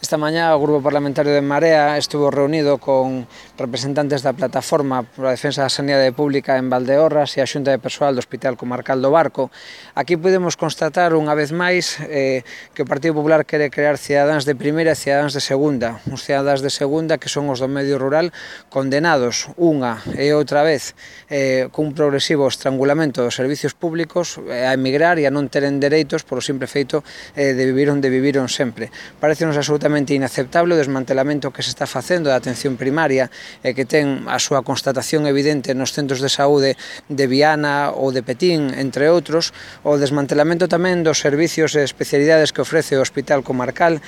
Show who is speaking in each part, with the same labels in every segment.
Speaker 1: Esta mañá o Grupo Parlamentario de Marea estuvo reunido con representantes da Plataforma pola Defensa da Sanidade Pública en Valdeorras e a Xunta de Persoal do Hospital Comarcal do Barco. Aquí podemos constatar unha vez máis que o Partido Popular quere crear cidadáns de primeira e cidadáns de segunda. Uns cidadáns de segunda que son os do medio rural condenados unha e outra vez cun progresivo estrangulamento dos servicios públicos a emigrar e a non teren dereitos polo simple feito de vivir onde viviron sempre. Parecenos absolutamente inaceptable o desmantelamento que se está facendo da atención primaria e que ten a súa constatación evidente nos centros de saúde de Viana ou de Petín, entre outros, o desmantelamento tamén dos servicios e especialidades que ofrece o Hospital Comarcal,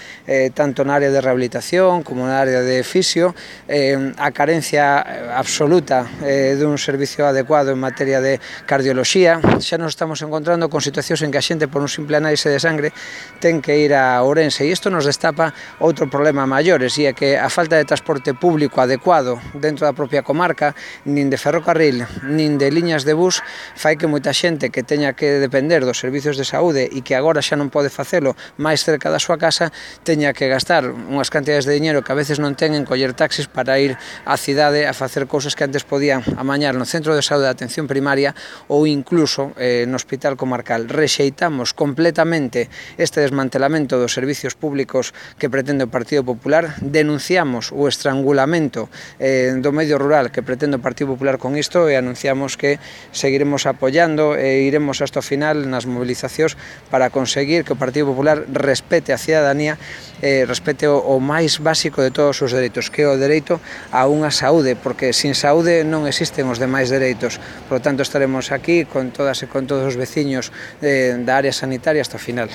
Speaker 1: tanto na área de rehabilitación como na área de fisio, a carencia absoluta dun servicio adecuado en materia de cardioloxía. Xa nos estamos encontrando con situacións en que a xente por un simple análise de sangre ten que ir a Ourense e isto nos destapa outro problema maiores, e é que a falta de transporte público adecuado dentro da propia comarca, nin de ferrocarril, nin de liñas de bus, fai que moita xente que teña que depender dos servicios de saúde e que agora xa non pode facelo máis cerca da súa casa, teña que gastar unhas cantidades de diñeiro que a veces non ten en coller taxis para ir á cidade a facer cousas que antes podían amañar no centro de saúde de atención primaria ou incluso no Hospital Comarcal. Rexeitamos completamente este desmantelamento dos servicios públicos que pretende o Partido Popular, denunciamos o estrangulamento do medio rural que pretende o Partido Popular con isto e anunciamos que seguiremos apoiando e iremos hasta o final nas movilizacións para conseguir que o Partido Popular respete a cidadanía, respete o máis básico de todos os dereitos, que é o dereito a unha saúde, porque sin saúde non existen os demais dereitos. Por lo tanto, estaremos aquí con todas e con todos os veciños da área sanitaria hasta o final.